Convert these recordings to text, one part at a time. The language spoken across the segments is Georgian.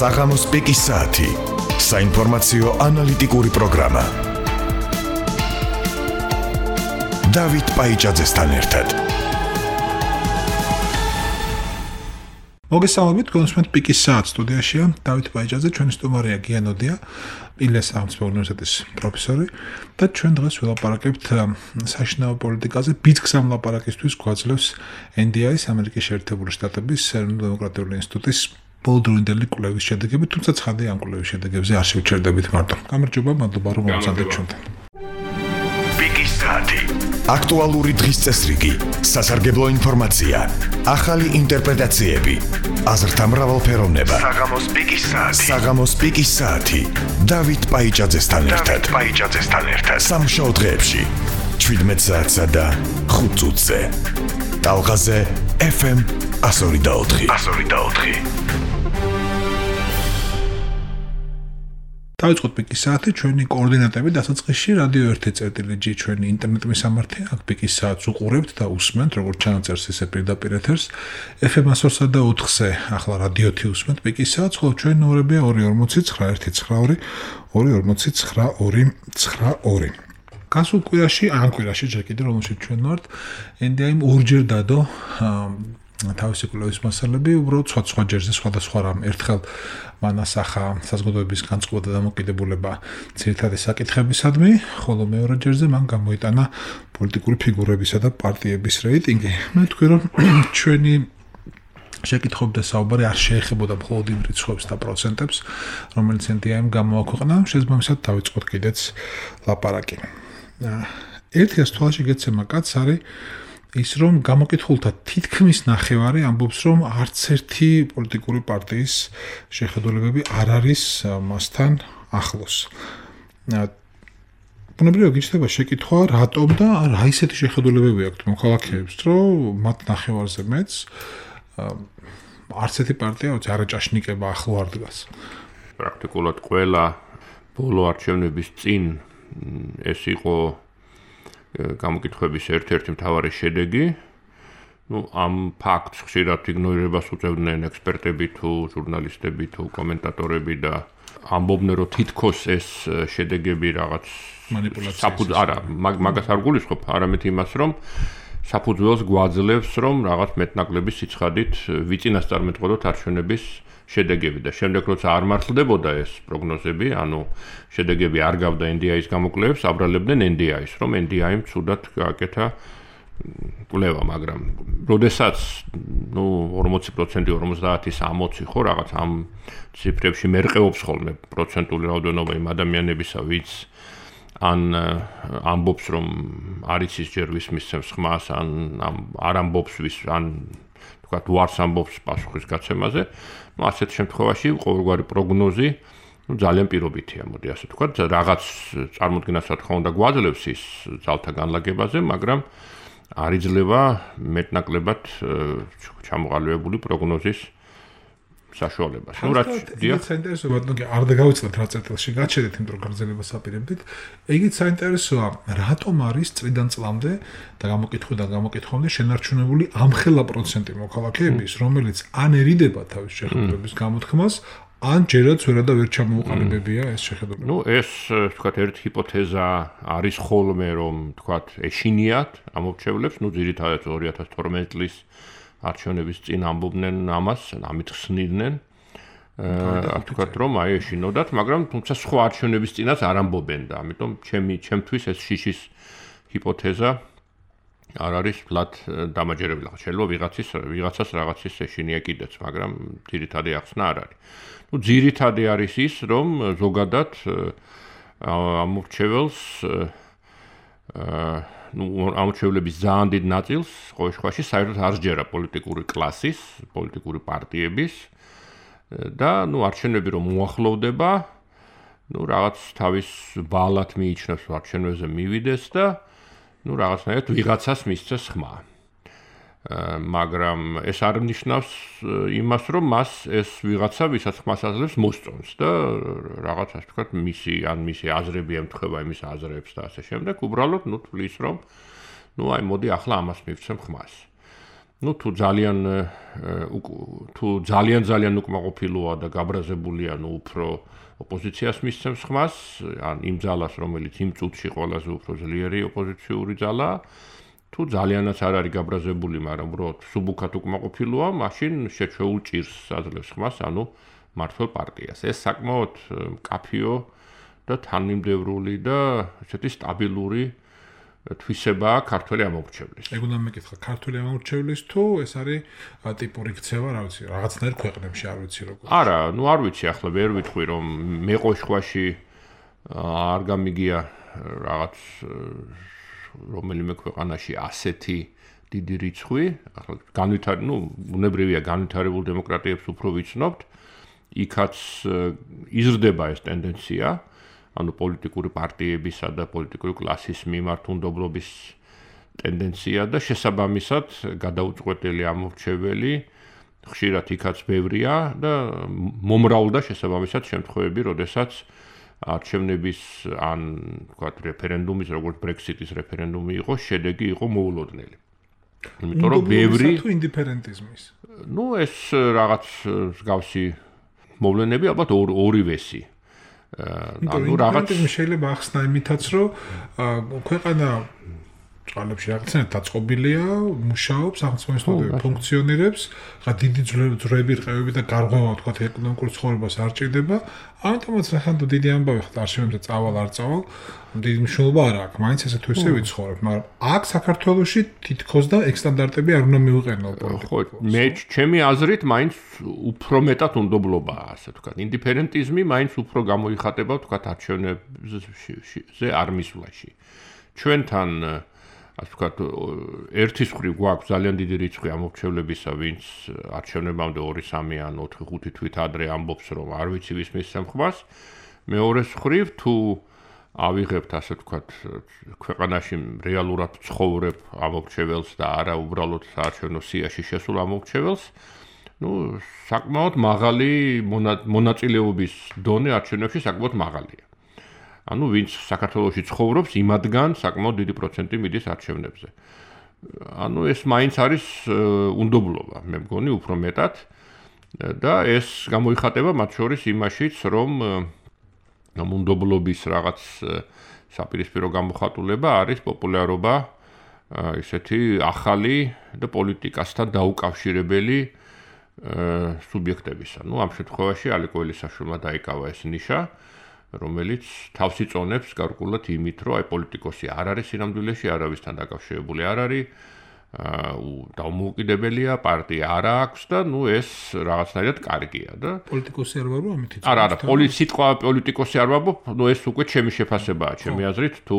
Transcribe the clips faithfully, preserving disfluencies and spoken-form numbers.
საღამოს პიკის საათი. საინფორმაციო ანალიტიკური პროგრამა. დავით პაიჭაძესთან ერთად. მოგესალმებით, გონსმენთ პიკის საათ სტუდიაშია დავით პაიჭაძე, ჩვენი სტუმარია გიანოდია, პილეს სახელმწიფო უნივერსიტეტის პროფესორი და ჩვენ დღეს ვილაპარაკებთ საშინაო პოლიტიკაზე. ბიძგს ამ ლაპარაკისთვის გვაძლევს ენ დი აის ამერიკის შეერთებული შტატების ეროვნულ-დემოკრატიული ინსტიტუტის ბოლდროინდელი კვლევის შედეგები, თუმცა ცხადია ამ კვლევის შედეგებზე არ შევჩერდებით მარტო. გამარჯობა, მადლობა რომ მომწადეთ ჩვენთან. პიკის საათი. აქტუალური დღის წესრიგი, სასარგებლო ინფორმაცია, ახალი ინტერპრეტაციები, აზრთა მრავალფეროვნება. საღამოს პიკის საათი. საღამოს პიკის საათი. დავით პაიჭაძესთან ერთად. დავით პაიჭაძესთან ერთად. სამშაბათო დღეებში შვიდმეტ საათსა და ხუთ წუთზე. ტალღაზე ეფ ემ one oh four. one oh four. დავიწყოთ პიკის საათი, ჩვენი კოორდინატები დასაწყისში რადიო ერთი წერტილი ჯი ჩვენი ინტერნეტ მისამართი, აქ პიკის საათს უყურებთ და უსმენთ, როგორც ჩანაწერს ისე პირდაპირ ეთერს. ეფ ემ one oh four და ოთხზე ახლა რადიო ერთი უსმენთ პიკის საათს, ხოლო ჩვენი ნომრებია two forty nine one one two forty nine two forty nine. გასულ კვირაში, ან კვირაში ჯერ კიდევ რომელშიც ჩვენ ვართ, ენ დი აიმ ორჯერ დადო თავისი კვლევის მასალები, უბრალოდ სხვა სხვა ჯერზე სხვადასხვა რამ. ერთხელ მან ასახა საზოგადოების განწყობა და დამოკიდებულება ძირითადი საკითხებისადმი, ხოლო მეორე ჯერზე მან გამოიტანა პოლიტიკური ფიგურებისა და პარტიების რეიტინგი. მე ვთქვი, რომ ჩვენი შეკითხვები და საუბარი არ შეეხებოდა მხოლოდ იმ რიცხვებს და პროცენტებს, რომელიც ენ დი აიმ გამოაქვეყნა, შესაბამისად დავიწყოთ კიდეც ლაპარაკი. ერთი ასთვალში გეცემა კაც არის ის, რომ გამოკითხულთა თითქმის ნახევარი ამბობს, რომ არც ერთი პოლიტიკური პარტიის შეხედულებები არ არის მასთან ახლოს. ბუნებრივია გიჩნდება შეკითხვა, რატომ და რა ისეთი შეხედულებები აქვთ მოქალაქეებს, რომ მათ ნახევარზე მეც არც ერთი პარტია არაჭაშნიკება ახლო არ დგას. პრაქტიკულად ყველა ბოლო არჩევნების წინ ეს იყო გამოკითხების ერთ-ერთი მთავარი შედეგი. ნუ ამ ფაქტს ხშირად იგნორირებას უწევდნენ ექსპერტები თუ ჟურნალისტები თუ კომენტატორები და ამბობდნენ, რომ თითქოს ეს შედეგები რაღაც მანიპულაციაა. არა, მაგას არ გულისხმობ, არამედ იმას, რომ საფუძველს გვაძლევს, რომ რაღაც მეტნაკლები სიცხადით ვიწინასწარმეტყველოთ არჩევნების შედეგები და შემდეგ როცა არ მართლდებოდა ეს პროგნოზები, ანუ შედეგები არ გავდა ენ დი აის გამოკვლევებს, აბრალებდნენ ენ დი აის, რომ ენ დი აიმ ცუდად გააკეთა კვლევა, მაგრამ როდესაც ნუ ორმოცი პროცენტი ორმოცდაათი სამოცი ხო რაღაც ამ ციფრებში მერყეობს ხოლმე პროცენტული რაოდენობა იმ ადამიანებისა, ვინც ან ამბობს, რომ არ იცის ჯერ ვის მისცემს ხმას, ან არ ამბობს ვის, ან თქვათ უარს ამბობს პასუხის გაცემაზე. ნუ ასეთ შემთხვევაში ყოველგვარი პროგნოზი ნუ ძალიან პირობითია, მოდი ასე ვთქვათ, რაღაც წარმოდგენას რა თქმა უნდა გვაძლევს ის ძალთა განლაგებაზე, მაგრამ არ იძლევა მეტნაკლებად ჩამოყალიბებული პროგნოზის საშუალებას. ნუ რაც დიახ, საინტერესოა, ბატონო, არ დაგავიწყდეთ რა წერტილში, გაჩერეთ იმ პროგნოზებას აპირებდით. ეგიც საინტერესოა, რატომ არის წლიდან წლამდე და გამოკითხვიდან გამოკითხვამდე შენარჩუნებული ამხელა პროცენტი მოქალაქეების, რომელიც ან ერიდება თავის შეხედულების გამოთქმას, ან ჯერაც ვერა და ვერ ჩამოუყალიბებია ეს შეხედულება. ნუ ეს თქვათ ერთი ჰიპოთეზა არის ხოლმე, რომ თქვათ ეშინიათ ამორჩევლებს, ნუ ძირითადად ორი ათას თორმეტი წლის არჩევნების წინ ამბობდნენ ამას, ამით ხსნიდნენ. აა თქვათ რომ აი ეშინოდათ, მაგრამ თუმცა სხვა არჩევნების წინაც არ ამბობენ და ამიტომ ჩემი ჩემთვის ეს შიშის ჰიპოთეზა არ არის ფლად დამაჯერებელი. შეიძლება ვიღაცის ვიღაცას რაღაცის ეშინია კიდეც, მაგრამ ძირითადი ახსნა არ არის. ნუ ძირითადი არის ის, რომ ზოგადად ამორჩეველს აა ნუ ამორჩევლების ძალიან დიდ ნაწილს ყოველ შემთხვევაში საერთოდ არ სჯერა პოლიტიკური კლასის, პოლიტიკური პარტიების და ნუ არჩევნები რომ უახლოვდება, ნუ რაღაც თავის ბალად მიიჩნევს არჩევნებზე მივიდეს და ნუ რაღაცნაირად ვიღაცას მისცეს ხმა. მაგრამ ეს არ ნიშნავს იმას, რომ მას ეს ვიღაცა ვისაც ხმას აძლევს მოსწონს და რაღაც ასე ვთქვათ, მისი ან მისი აზრები ემთხვევა იმის აზრებს და ასე შემდეგ, უბრალოდ ნუ თვლის, რომ ნუ აი მოდი ახლა ამას მივცემ ხმას. ну თუ ძალიან თუ ძალიან ძალიან უკმაყოფილოა და გაბრაზებულია, ну უფრო ოპოზიციას მისცემს ხმას, ან იმ ძალას, რომელიც იმ წუთში ყველაზე უფრო ძლიერი ოპოზიციური ძალაა. თუ ძალიანაც არ არის გაბრაზებული, მაგრამ უბრალოდ სუბუქად უკმაყოფილოა, მაშინ შეჩვეულ ჭირს აძლევს ხმას, ანუ მართლ პარტიას. ეს საკმაოდ მკაფიო და თანმიმდევრული და ესეთი სტაბილური თვისებაა ქართველი ამომრჩევლის. ეგ უნდა მეკითხა, ქართველი ამომრჩევლის თუ ეს არის ტიპური ქცევა, რა ვიცი, რაღაცნაირ ქვეყნებში არ ვიცი როგორ. არა, ну არ ვიცი, ახლა ვერ ვიტყვი რომ მე ყოშხვაში არ გამიგია რაღაც რომელიმე ქვეყანაში ასეთი დიდი რიცხვი, ახლა განვითარ, ну უნებრივია განვითარებულ დემოკრატიებს უფრო ვიცნობთ, იქაც იზრდება ეს ტენდენცია. ანუ პოლიტიკური პარტიებისა და პოლიტიკური კლასის მიმართ უნდობლობის ტენდენცია და შესაბამისად გადაუწყვეტელი ამორჩეველი ხშირად იქაც ბევრია და მომრავლდა შესაბამისად შემთხვევები, როდესაც არჩევნების ან ვთქვათ რეფერენდუმის, როგორც ბრექსიტის რეფერენდუმი იყო, შედეგი იყო მოულოდნელი. იმიტომ რომ ბევრი თუ ინდიფერენტიზმის. ну ეს რაღაც მსგავსი მოვლენები ალბათ ორივესი. ანუ რაღაც შეიძლება ახსნა იმითაც რომ ქვეყანა წყალებში რაღაცნაირად დაწყობილია, მუშაობს, სახელმწიფო ფუნქციონირებს, ხა დიდი ძვრები, რყევები და გარღვევა თქვათ ეკონომიკურ ცხოვრებას არ ჭირდება. ამიტომაც რახან თუ დიდი ამბავი ხარ არჩევნებზე წავალ არ წავალ, დიდი მნიშვნელობა არ აქვს, მაინც ესე თუ ისე ვიცხოვრებ, მაგრამ აქ საქართველოში თითქოს და ეგ სტანდარტები არ უნდა მივიყენო პოლიტიკას. ხო, მე ჩემი აზრით მაინც უფრო მეტად უნდობლობაა, ასე ვთქვათ, ინდიფერენტიზმი მაინც უფრო გამოიხატება, ვთქვათ, არჩევნებზე არ მისვლაში. ჩვენთან ასე ვთქვათ, ერთის მხრივ გვაქვს ძალიან დიდი რიცხვი ამორჩევლებისა, ვინც არჩევნებამდე ორი სამი ან ოთხი ხუთი თვით ადრე ამბობს, რომ არ ვიცი ვის მისცემ ხმას. მეორეს მხრივ თუ ავიღებთ, ასე ვთქვათ, ქვეყანაში რეალურად ცხოვრებ ამორჩეველს და არა უბრალოდ საარჩევნო სიაში შესულ ამორჩეველს, ну, საკმაოდ მაღალი მონაწილეობის დონე არჩევნებში საკმაოდ მაღალია. ანუ ვინც საქართველოში ცხოვრობს, იმადგან საკმაოდ დიდი პროცენტი მიდის არჩევნებზე. ანუ ეს მაინც არის უნდობლობა, მე მგონი უფრო მეტად და ეს გამოიხატება მათ შორის იმაშიც, რომ უნდობლობის რაღაც საპირისპირო გამოხატულება არის პოპულარობა ისეთი ახალი და პოლიტიკასთან დაუკავშირებელი სუბიექტებისა. ну ამ შემთხვევაში ალე კოელისაშვილმა დაიკავა ეს ნიშა, რომელიც თავს იწონებს გარკვეულად იმით, რომ აი პოლიტიკოსი არ არის სინამდვილეში არავისთან დაკავშირებული არ არის, დაუმოუკიდებელია, პარტია არ აქვს და ну ეს რაღაცნაირად კარგია და პოლიტიკოსი არ ვარო ამით იწონებს. არა, არა, სიტყვა პოლიტიკოსი არ ვაბობ, ну ეს უკვე ჩემი შეფასებაა, ჩემი აზრით, თუ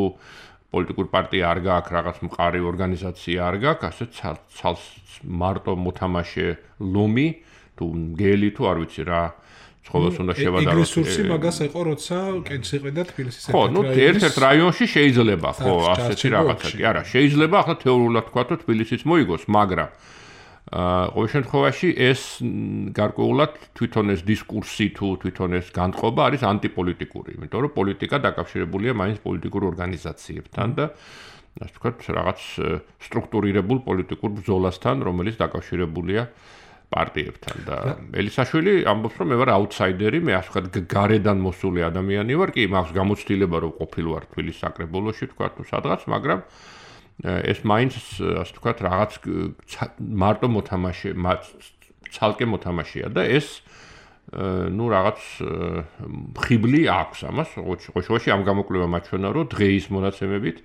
პოლიტიკური პარტია არ გააქვს, რაღაც მყარი ორგანიზაცია არ გააქვს, ასე ცალ მარტო მოთამაშე ლომი, თუ მგელი, თუ არ ვიცი რა ცხოველს უნდა შევადაროთ. ეგ რესურსი მაგას ეყო, როცა კენჭს იყიდა თბილისის ერთ-ერთ რაიონში. ხო, ну ერთ-ერთ რაიონში შეიძლება, ხო, ასეთი რაღაცა კი არა, შეიძლება ახლა თეორიულად თქვა, რომ თბილისიც მოიგოს, მაგრამ აა ყოველ შემთხვევაში ეს გარკვეულად თვითონ ეს დისკურსი თუ თვითონ ეს განწყობა არის ანტიპოლიტიკური, იმიტომ რომ პოლიტიკა დაკავშირებულია მაინც პოლიტიკურ ორგანიზაციებთან და ასე ვთქვათ, რაღაც სტრუქტურირებულ პოლიტიკურ ბრძოლასთან, რომელიც დაკავშირებულია პარტიებთან და ელისაშვილი ამბობს, რომ მე ვარ აუთსაიდერი, მე ასე ვთქვათ, გარედან მოსული ადამიანი ვარ, კი, მაქვს გამოცდილება, რომ ყოფილვარ თბილისის საკრებულოში, ვთქვათ, თუ სადღაც, მაგრამ ეს მაინც ასე ვთქვათ, რაღაც მარტო მოთამაშე, ცალკე მოთამაშეა და ეს ну რაღაც ხიბლი აქვს ამას, ყოველშაბათში ამ გამოკვლევა მაჩვენა, რომ დღეის მონაცემებით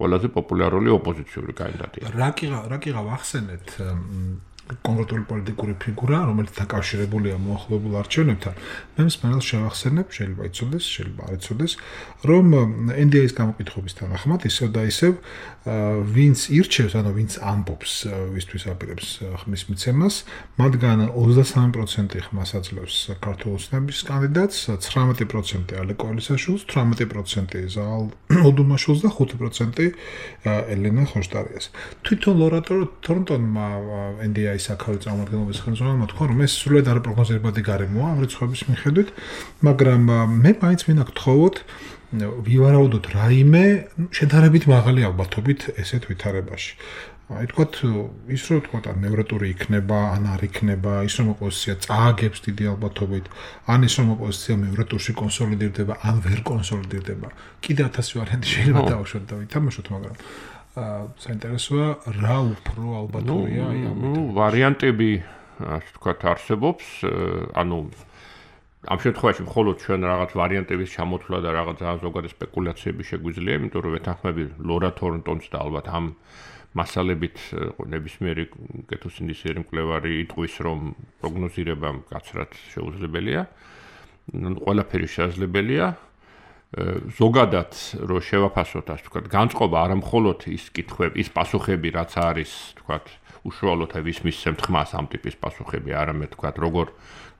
ყველაზე პოპულარული ოპოზიციური კანდიდატია. რა კი რა კი გავახსენეთ კონკრეტული პოლიტიკური ფიგურა, რომელიც დაკავშირებულია მოახლოებულ არჩევნებთან, მე მსმენელს შევახსენებ, შეიძლება იცოდეს, შეიძლება არ იცოდეს, რომ ენ დი ეის გამოკითხების თანახმად ისევ და ისევ ვინც ირჩევს, ანუ ვინც ამბობს, ვისთვის აპირებს ხმის მიცემას, მათგან ოცდასამი პროცენტი ხმას აძლევს საქართველოს ოცნების კანდიდატს, ცხრამეტი პროცენტი ალე კოელისაშვილს, თვრამეტი პროცენტი ზაალ ოდუმაშვილს და ხუთი პროცენტი ელენა ხოშტარიას. თვითონ ლორატო თორნტონმა ენ დი ეის საქარავი წარმომადგენლობის ხელმძღვანელმა თქვა, რომ ეს სრულად არაპროგნოზირებადი გარემოა ამ რიცხვების მიხედვით, მაგრამ მე მაინც მინდა გთხოვოთ ვივარაუდოთ რაიმე შედარებით მაღალი ალბათობით ესეთ ვითარებაში. აი თქვათ ის რომ თქვათ ან მეორე ტური იქნება, ან არ იქნება, ის რომ ოპოზიცია წააგებს დიდი ალბათობით, ან ის რომ ოპოზიცია მეორე ტურში კონსოლიდირდება, ან ვერ კონსოლიდირდება. კიდე ათასი ვარიანტი შეიძლება დავუშვათ და ვითამაშოთ, მაგრამ აა საინტერესოა რა უფრო ალბათურია აი ამ ნუ ვარიანტები ასე თქვათ არსებობს, ანუ ამ შემთხვევაში მხოლოდ ჩვენ რაღაც ვარიანტების ჩამოთვლა და რაღაც ზოგადი სპეკულაციები შეგვიძლია, იმიტომ რომ ვეთანხმები ლორა თორნტონს და ალბათ ამ მასალებით ნებისმიერი კეთილსინდისიერი მკვლევარი იტყვის, რომ პროგნოზირება მკაცრად შეუძლებელია. ყველაფერი შესაძლებელია. ზოგადად რო შევაფასოთ, ასე ვთქვათ, განწყობა არა მხოლოდ ის კითხვები, ის პასუხები, რაც არის, ვთქვათ, უშუალოდ ვის მისცემთ ხმას ამ ტიპის პასუხები, არამედ ვთქვათ, როგორ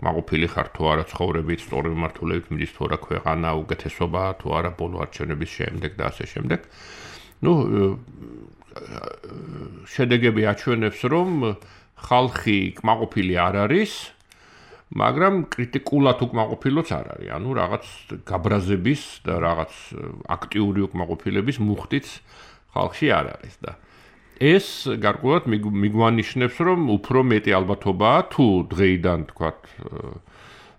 კმაყოფილი ხარ თუ არა ცხოვრებით, სწორი მიმართულებით მიდის თუ არა ქვეყანა, უკეთესობა თუ არა ბოლო არჩევნების შემდეგ და ასე შემდეგ. ნუ შედეგები აჩვენებს, რომ ხალხი კმაყოფილი არ არის, მაგრამ კრიტიკულად უკმაყოფილოც არ არის. ანუ რაღაც გაბრაზების და რაღაც აქტიური უკმაყოფილების მუხტიც ხალხში არ არის და ეს გარკვეულად მიგვანიშნებს, რომ უფრო მეტი ალბათობაა თუ დღეიდან, თქვათ,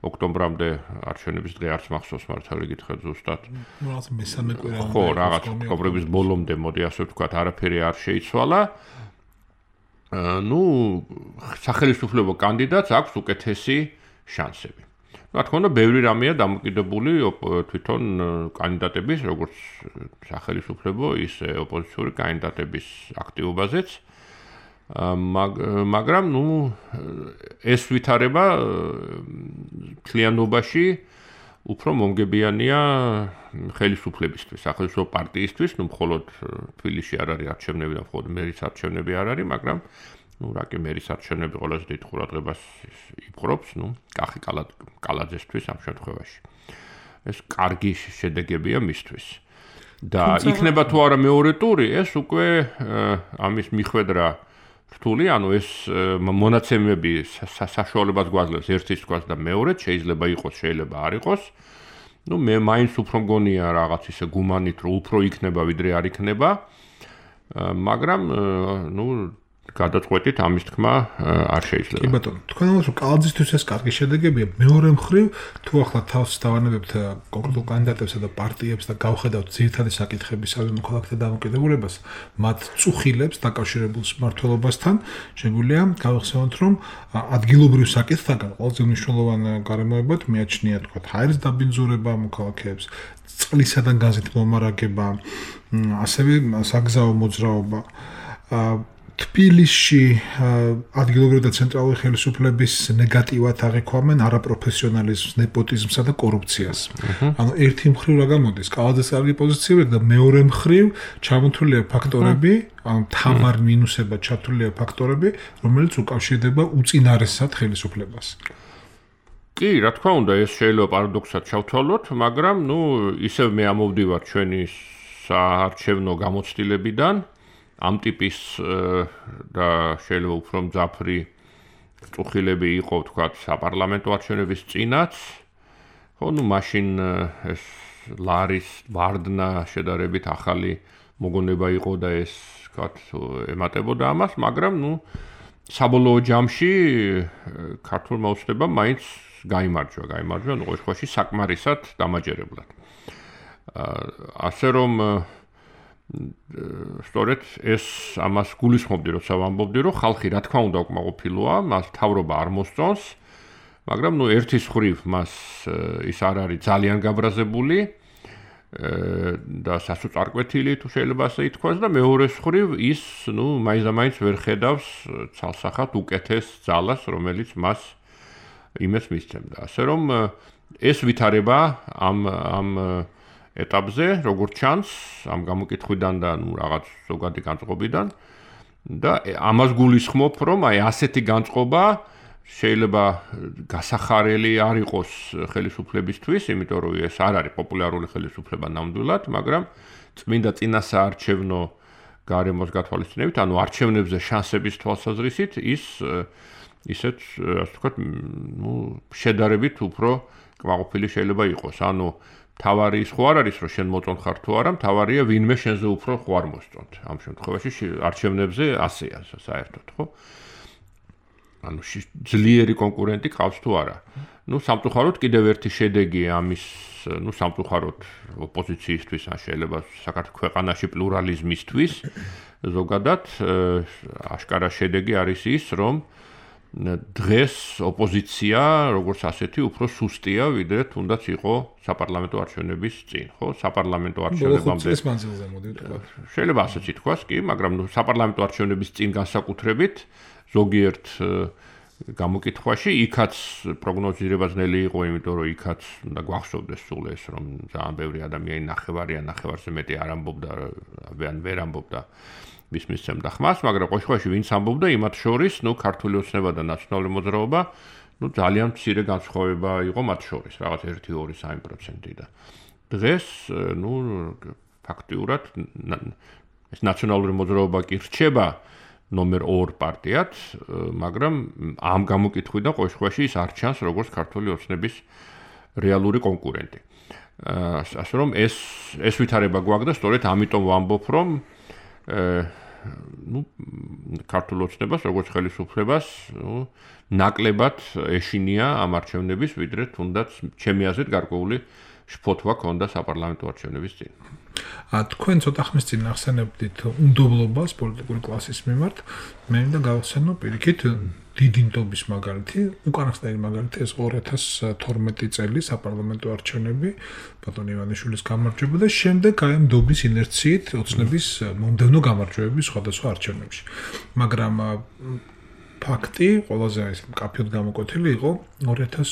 ოქტომბრამდე არჩევნების დღე არც მახსოვს მართალი გითხრათ ზუსტად. ნუ რაღაც მესამე კვირა. ხო, რაღაც ოქტომბრის ბოლომდე, მოდი ასე ვთქვათ, არაფერი არ შეიცვალა. ნუ სახელმწიფო კანდიდატს აქვს უკეთესი შანსები. რა თქმა უნდა, ბევრი რამეა დამოკიდებული თვითონ კანდიდატების, როგორც სახელმწიფო, ისე ოპოზიციური კანდიდატების აქტივობაზეც. მაგრამ ნუ ეს ვითარება მთლიანობაში უფრო მომგებიანია ხელისუფლებისთვის, სახელმწიფო პარტიისთვის, ნუ მხოლოდ თბილისში არ არის არჩევნები და მხოლოდ მერის არჩევნები არ არის, მაგრამ ნუ რა კი მერის არჩევნები ყველაზე დიდ ყურადღებას იპყრობს, ნუ კახი კალაძესთვის ამ შემთხვევაში. ეს კარგი შედეგებია მისთვის. და იქნება თუ არა მეორე ტური, ეს უკვე ამის მიხვედრა რთული, ანუ ეს მონაცემები საშუალებას გვაძლევს ერთის თქვას და მეორედ, შეიძლება იყოს, შეიძლება არ იყოს. ნუ მე მაინც უფრო მგონია რაღაც ისე გუმანით, რომ უფრო იქნება ვიდრე არ იქნება. მაგრამ ნუ გადაწყვეტით ამის თქმა არ შეიძლება. კი ბატონო, თქვენ ამას რომ კალაძისთვის ეს კარგი შედეგებია, მეორე მხრივ თუ ახლა თავს დავანებებთ კონკრეტულ კანდიდატებსა და პარტიებს და გავხედავთ ძირითადი საკითხების საზღვაო მოქალაქეთა დამოკიდებულებას, მათ წუხილებს დაკავშირებულ მმართველობასთან, შეგვიძლია გავხსენოთ, რომ ადგილობრივ საკითხთაგან ყველაზე მნიშვნელოვანი გარემოებად მიაჩნია, თქვა, ჰაერის დაბინძურება მოქალაქეებს, წყლისა და გაზით მომარაგება, ასევე საგზაო მოძრაობა. თბილისში ადგილობრივი და ცენტრალური ხელისუფლების ნეგატივად აღიქვამენ არაპროფესიონალიზმს, ნეპოტიზმსა და კორუფციას. ანუ ერთი მხრივ რა გამოდის, კალაძეს კარგი პოზიციები და მეორე მხრივ ჩამოთვლილია ფაქტორები, ანუ თამარ მინუსებად ჩათვლილია ფაქტორები, რომელიც უკავშირდება უწინარესად ხელისუფლებას. კი, რა თქმა უნდა, ეს შეიძლება პარადოქსად ჩავთვალოთ, მაგრამ ნუ ისევ მე ამოვდივარ ჩვენი საარჩევნო გამოცდილებიდან. ამ ტიპის და შეიძლება უფრო მძაფრი წუხილები იყო, ვთქვათ, საპარლამენტო არჩევნების წინაც. ხო, ნუ მაშინ ეს ლარის ვარდნა შედარებით ახალი მოგონება იყო და ეს, ვთქვათ, ემატებოდა ამას, მაგრამ ნუ საბოლოო ჯამში ქართულმა ოცნებამ მაინც გაიმარჯვა, გაიმარჯვა, ნუ ყოველში საკმარისად დამაჯერებლად. ასე რომ სწორედ ეს ამას გულისხმობდი, როცა ვამბობდი, რომ ხალხი რა თქმა უნდა უკმაყოფილოა, მას თავრობა არ მოსწონს, მაგრამ ნუ ერთის ხრივ მას ის არ არის ძალიან გაბრაზებული და სასოწარკვეთილი თუ შეიძლება ასე ითქვას და მეორეს ხრივ ის, ნუ მაინც და მაინც ვერ ხედავს ცალსახად უკეთეს ძალას, რომელიც მას იმეს მისცემდა. ასე რომ ეს ვითარება ამ ამ ეტაპზე, როგორც ჩანს, ამ გამოკითხვიდან და ნუ რაღაც ზოგადი განწყობიდან და ამას გულისხმობ, რომ აი ასეთი განწყობა შეიძლება გასახარელი არ იყოს ხელისუფლებისთვის, იმიტომ რომ ეს არ არის პოპულარული ხელისუფლება ნამდვილად, მაგრამ წმინდა წინასაარჩევნო გარემოს გათვალისწინებით, ანუ არჩევნებზე შანსების თვალსაზრისით ის ისეთ, ასე ვთქვათ, ნუ შედარებით უფრო კმაყოფილი შეიძლება იყოს. ანუ თავარი ის ხო არ არის რომ შენ მოწონ ხარ თუ არა, თავარია ვინმე შენზე უფრო ხო არ მოსწონთ. ამ შემთხვევაში არჩევნებზე ასეა საერთოდ, ხო? ანუ ძლიერი კონკურენტი ყავს თუ არა. ნუ სამწუხაროდ კიდევ ერთი შედეგი ამის, ნუ სამწუხაროდ ოპოზიციისთვის ან შეიძლება საქართველოს ქვეყანაში პლურალიზმისთვის ზოგადად აშკარა შედეგი არის ის, რომ დღეს ოპოზიცია როგორც ასეთი უფრო სუსტია, ვიდრე თუნდაც იყო საპარლამენტო არჩევნების წინ, ხო? საპარლამენტო არჩევნებამდე ეს მანძილზე მოდი ვთქვათ. შეიძლება ასეც ითქვას, კი, მაგრამ ნუ საპარლამენტო არჩევნების წინ განსაკუთრებით ზოგიერთ გამოკითხვაში იქაც პროგნოზირება ძნელი იყო, იმიტომ რომ იქაც უნდა გვახსოვდეს სულ ეს, რომ ძალიან ბევრი ადამიანი ნახევარი ან ნახევარზე მეტი არ ამბობდა, ან ვერ ამბობდა ვის მისცემდა ხმას, მაგრამ ყოველ შემთხვევაში ვინც ამბობდა, იმათ შორის, ნუ ქართული ოცნება და ნაციონალური მოძრაობა, ნუ ძალიან მცირე განსხვავება იყო მათ შორის, რაღაც ერთი ორი სამი პროცენტი და დღეს, ნუ ფაქტიურად ეს ნაციონალური მოძრაობა კი რჩება ნომერ ორ პარტიად, მაგრამ ამ გამოკითხვიდან ყოველ შემთხვევაში ის არ ჩანს როგორც ქართული ოცნების რეალური კონკურენტი. ასე რომ ეს ეს ვითარება გვაქვს და სწორედ ამიტომ ვამბობ, რომ ნუ ქართულ ოცნებას როგორც ხელისუფლებას, ნუ ნაკლებად ეშინია ამ არჩევნების, ვიდრე თუნდაც ჩემი აზრით გარკვეული შფოთვა ქონდა საპარლამენტო არჩევნების წინ. ა თქვენ ცოტა ხნის წინ ახსენებდით უნდობლობას პოლიტიკური კლასის მიმართ, მე მინდა გავხსენო პირიქით დიდი ნდობის მაგალითი, უკანასკნელი მაგალითი ეს ორი ათას თორმეტი წელი საპარლამენტო არჩევნები, ბატონ ივანიშვილის გამარჯვება და შემდეგ აი ნდობის ინერციით ოცნების მომდევნო გამარჯვებების სხვადასხვა არჩევნებში. მაგრამ ფაქტი ყველაზე ეს მკაფიოდ გამოკვეთილი იყო ორი ათას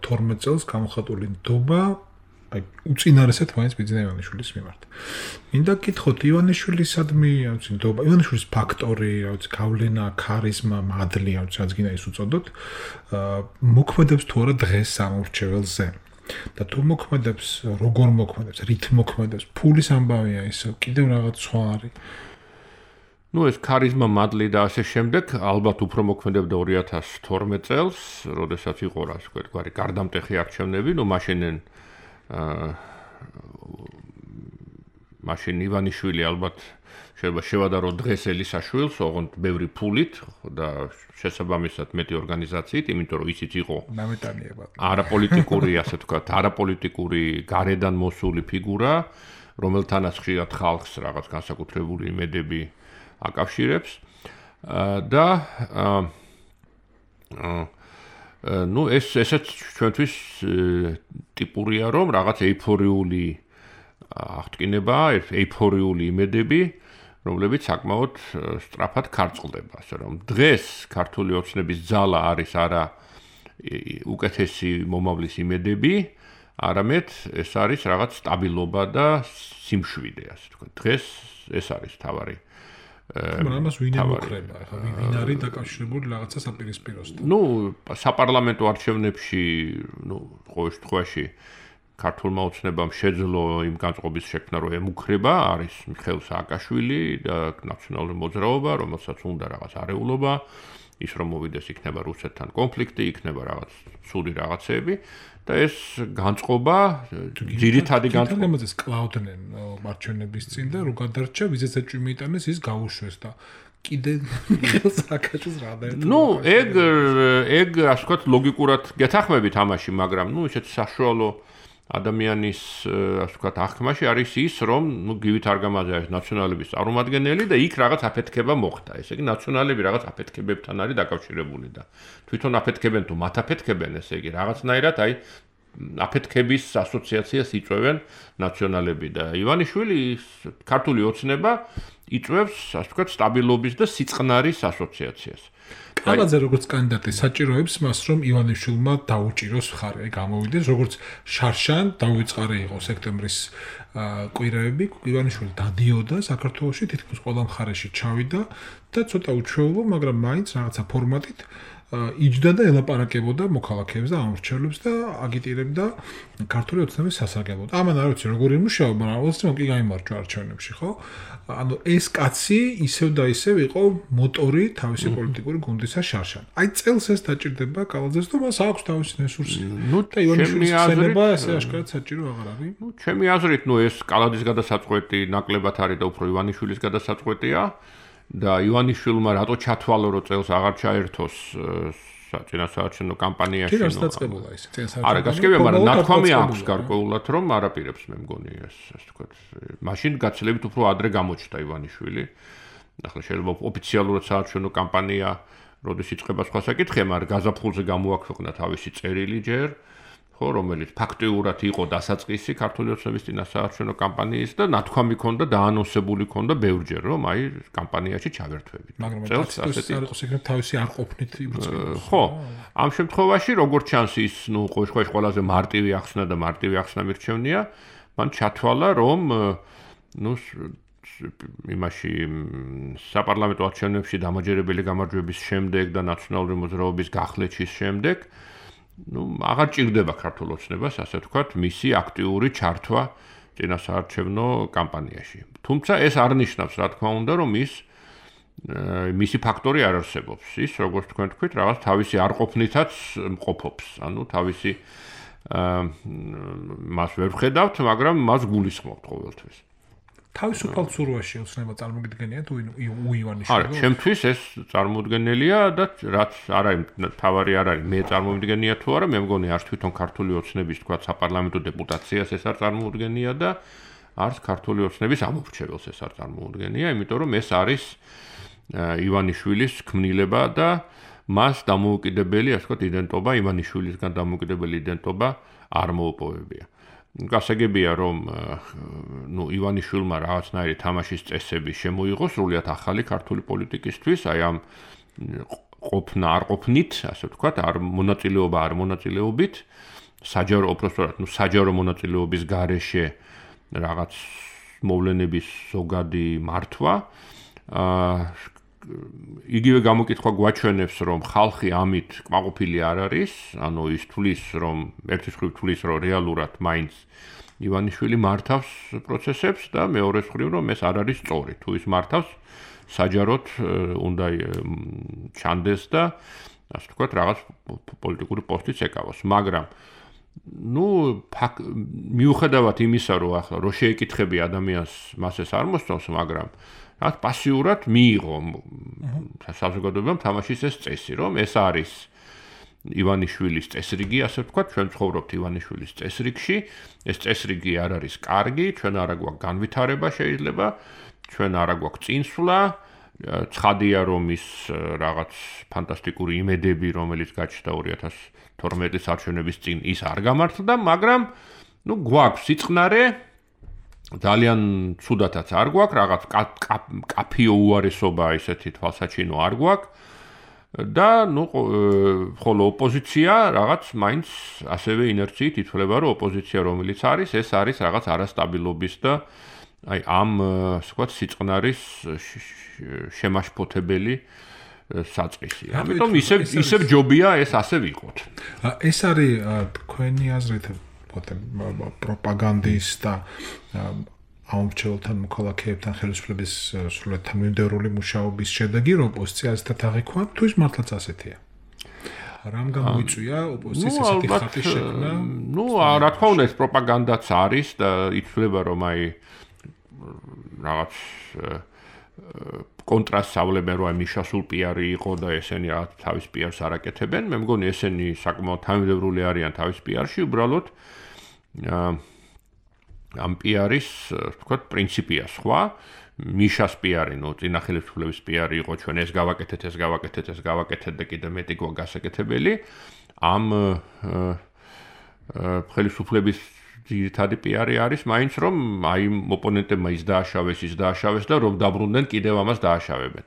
თორმეტ წელს გამოხატული ნდობა აი უწინარესად მაინც ბიძინა ივანიშვილის მიმართ. მინდა გკითხოთ ივანიშვილისადმი, რა ნდობა, ივანიშვილის ფაქტორი, რა ვიცი, გავლენა, ქარიზმა, მადლი, რა ვიცი, რაც გინდა ის უწოდოთ, მოქმედებს თუ არა დღეს სამორჩეველზე. და თუ მოქმედებს, როგორ მოქმედებს, რით მოქმედებს, ფულის ამბავია ის, კიდევ რაღაც სხვა არის. ნუ ეს ქარიზმა, მადლი და ასე შემდეგ, ალბათ უფრო მოქმედებდა ორი ათას თორმეტ წელს, როდესაც იყო რა ვთქვი, გარდამტეხი არჩევნები, ნუ მაშინ აა მაშინ ივანიშვილი ალბათ შეიძლება შევადარო დღეს ელისაშვილს, ოღონდ ბევრი ფულით და შესაბამისად მეტი ორგანიზაციით, იმიტომ რომ ისიც იყო ნამეტანიება. არაპოლიტიკური, ასე ვთქვათ, არაპოლიტიკური გარედან მოსული ფიგურა, რომელთანაც ხშირად ხალხს რაღაც განსაკუთრებული იმედები აკავშირებს და აა ну ეს ესეც ჩვენთვის ტიპურია რომ რაღაც ეიფორიული აღტკინება, ეიფორიული იმედები, რომლებიც საკმაოდ სწრაფად ქარწყლდება, ასე რომ დღეს ქართული ოცნების ძალა არის არა უკეთესი მომავლის იმედები, არამედ ეს არის რაღაც სტაბილობა და სიმშვიდე, ასე ვთქვათ. დღეს ეს არის თავარი მაგრამ ამას ვინ ემუქრება? ახლა ვინ არის დაკავშირებული რაღაცა საპირისპიროსთან? ნუ საპარლამენტო არჩევნებში, ნუ ყოველ შემთხვევაში ქართულმა ოცნებამ შეძლო იმ განწყობის შექმნა, რომ ემუქრება, არის მიხეილ სააკაშვილი და ნაციონალური მოძრაობა, რომელსაც უნდა რაღაც არეულობა, ის რომ მოვიდეს იქნება რუსეთთან კონფლიქტი, იქნება რაღაც ცუდი რაღაცები და ეს განწყობა ძირითადი განწყობა თამაზეს კლაუდნენ მარჩენების წინ და რო გადარჩა ვიზეც ეჭვი მიიტანეს ის გაუშვეს და კიდე მიხეილ სააკაშვილს რა დაერთო. ნუ ეგ ეგ ასე ვთქვათ ლოგიკურად გეთახმებით ამაში, მაგრამ ნუ ესეც საშუალო ადამიანის ასე ვთქვათ აღქმაში არის ის, რომ ნუ გივით არგამაძე არის ნაციონალების წარმომადგენელი და იქ რაღაც აფეთქება მოხდა. ესე იგი ნაციონალები რაღაც აფეთქებებთან არის დაკავშირებული და თვითონ აფეთქებენ თუ მათ აფეთქებენ, ესე იგი რაღაცნაირად აი აფეთქების ასოციაციას იწვევენ ნაციონალები და ივანიშვილი ქართული ოცნება იწვევს ასე ვთქვათ სტაბილობის და სიწყნარის ასოციაციას. კალაძე როგორც კანდიდატი საჭიროებს მას, რომ ივანიშვილმა დაუჭიროს მხარე, გამოვიდეს, როგორც შარშან დაუიწყარე იყო სექტემბრის კვირაები, ივანიშვილი დადიოდა საქართველოში, თითქმის ყველა მხარეში ჩავიდა და ცოტა უჩვეულო, მაგრამ მაინც რაღაცა ფორმატით იჯდა და ელაპარაკებოდა მოქალაქეებს და ამორჩევლებს და აგიტირებდა ქართული ოცნების სასარგებლოდ. ამან არ ვიცი როგორი იმუშავა, მაგრამ ოცნებამ კი გაიმარჯვა არჩევნებში, ხო? ანუ ეს კაცი ისევ და ისევ იყო მოტორი თავისი პოლიტიკური გუნდისა ისა შარშან. აი წელს ეს დაჭირდება კალაძეს და მას აქვს თავისი რესურსი. ნუ და ივანიშვილის ხსენება ესე აშკარად საჭირო აღარ არის. ნუ ჩემი აზრით, ნუ ეს კალაძის გადასაწყვეტი ნაკლებად არის და უფრო ივანიშვილის გადასაწყვეტია და ივანიშვილმა რატო ჩათვალო რომ წელს აღარ ჩაერთოს წინასაარჩევნო კამპანიაში. კი, რას დაწყებულა ეს წინასაარჩევნო. არა, გასაგებია, მაგრამ ნათქვამი აქვს გარკვეულად რომ არაპირებს მე მგონი ეს ასე ვთქვათ. მაშინ გაცილებით უფრო ადრე გამოჩნდა ივანიშვილი. ახლა შეიძლება ოფიციალურად საარჩევნო კამპანია როდის იწყება სხვა საკითხია, მაგრამ გაზაფხულზე გამოაქვეყნა თავისი წერილი ჯერ, ხო, რომელიც ფაქტიურად იყო დასაწყისი ქართული ოცნების წინასაარჩევნო კამპანიის და ნათქვამი ქონდა და ანონსებული ქონდა ბევრჯერ, რომ აი კამპანიაში ჩავერთვებით. მაგრამ წელს ასეთი არ იყოს ეგრეთ თავისი არ ყოფნით იბრძოდა. ხო, ამ შემთხვევაში როგორც ჩანს ის, ნუ ყოველ ყველაზე მარტივი ახსნა და მარტივი ახსნა მირჩევნია, მან ჩათვალა, რომ ნუ იმაში საპარლამენტო არჩევნებში დამაჯერებელი გამარჯვების შემდეგ და ნაციონალური მოძრაობის გახლეჩის შემდეგ ნუ აღარ ჭირდება ქართულ ოცნებას, ასე ვთქვათ, მისი აქტიური ჩართვა წინასაარჩევნო კამპანიაში. თუმცა ეს არ ნიშნავს, რა თქმა უნდა, რომ ის მისი ფაქტორი არ არსებობს. ის, როგორც თქვენ თქვით, რაღაც თავისი არყოფნითაც მყოფობს. ანუ თავისი მას ვერ ვხედავთ, მაგრამ მას გულისხმობთ ყოველთვის. თავისუფალ ცურვაში ოცნება წარმოგიდგენია თუ უივანიშვილი? არა, ჩემთვის ეს წარმოუდგენელია და რაც არ არის თავარი არ არის მე წარმოვიდგენია თუ არა, მე მგონი არც თვითონ ქართული ოცნების თქვა საპარლამენტო დეპუტაციას ეს არ წარმოუდგენია და არც ქართული ოცნების ამორჩეველს ეს არ წარმოუდგენია, იმიტომ რომ ეს არის ივანიშვილის ქმნილება და მას დამოუკიდებელი, ასე ვთქვათ, იდენტობა, ივანიშვილისგან დამოუკიდებელი იდენტობა არ მოუპოვებია. გასაგებია რომ ნუ ივანიშვილმა რაღაცნაირი თამაშის წესები შემოიღო სრულიად ახალი ქართული პოლიტიკისთვის, აი ამ ყოფნა არ ყოფნით, ასე ვთქვათ, არ მონაწილეობა არ მონაწილეობით, საჯარო უბრალოდ ნუ საჯარო მონაწილეობის გარეშე რაღაც მოვლენების ზოგადი მართვა. აა იგივე გამოკითხვა გვაჩვენებს, რომ ხალხი ამით კმაყოფილი არ არის, ანუ ის თulis, რომ ერთი მხრივ თulis, რომ რეალურად მაინც ივანიშვილი მართავს პროცესებს და მეორე მხრივ, რომ ეს არ არის სწორი. თუ ის მართავს, საჯაროდ უნდა ჩანდეს და ასე ვთქვათ, რაღაც პოლიტიკური პოსტიც ეკავოს. მაგრამ ნუ მიუხედავად იმისა, რომ ახლა რო შეეკითხები ადამიანს, მას ეს არ მოსწონს, მაგრამ რაც პასიურად მიიღო საზოგადოებამ თამაშის ეს წესი, რომ ეს არის ივანიშვილის წესრიგი, ასე ვთქვათ, ჩვენ ცხოვრობთ ივანიშვილის წესრიგში, ეს წესრიგი არ არის კარგი, ჩვენ არა გვაქვს განვითარება შეიძლება, ჩვენ არა გვაქვს წინსვლა, ცხადია რომ ის რაღაც ფანტასტიკური იმედები, რომელიც გაჩნდა ორი ათას თორმეტი საარჩევნების წინ ის არ გამართლდა, მაგრამ ნუ გვაქვს სიწყნარე ძალიან ცუდათაც არ გვაქვს, რაღაც კაფიო უარესობა ისეთი თვალსაჩინო არ გვაქვს და ნუ ხოლო ოპოზიცია რაღაც მაინც ასევე ინერციით ითვლება, რომ ოპოზიცია რომელიც არის, ეს არის რაღაც არასტაბილობის და აი ამ ასე ვთქვათ სიწყნარის შემაშფოთებელი საწყისი. ამიტომ ისევ ისევ ჯობია ეს ასე ვიყოთ. ეს არის თქვენი აზრით პროპაგანდის და ამორჩეულთან მოქალაქეებთან ხელისუფლების სრულად თანმიმდევრული მუშაობის შედეგი, რომ ოპოზიცია ასეთ აღიქვა, თუ ის მართლაც ასეთია. რამ გამოიწვია ოპოზიციის ასეთი ხატის შექმნა? ნუ რა თქმა უნდა ეს პროპაგანდაც არის და ითვლება რომ აი რაღაც კონტრასტს ავლებენ, რომ აი მიშასულ პიარი იყო და ესენი რაღაც თავის პიარს არაკეთებენ. მე მგონი ესენი საკმაოდ თანმიმდევრული არიან თავის პიარში, უბრალოდ ამ პიარის, ვთქვათ, პრინციპია სხვა. მიშას პიარი, ნუ წინა ხელისუფლების პიარი იყო, ჩვენ ეს გავაკეთეთ, ეს გავაკეთეთ, ეს გავაკეთეთ და კიდე მეტი გვა გასაკეთებელი. ამ ხელისუფლების ძირითადი პიარი არის მაინც რომ აი ოპონენტებმა ის დააშავეს, ის დააშავეს და რომ დაბრუნდნენ კიდევ ამას დააშავებენ.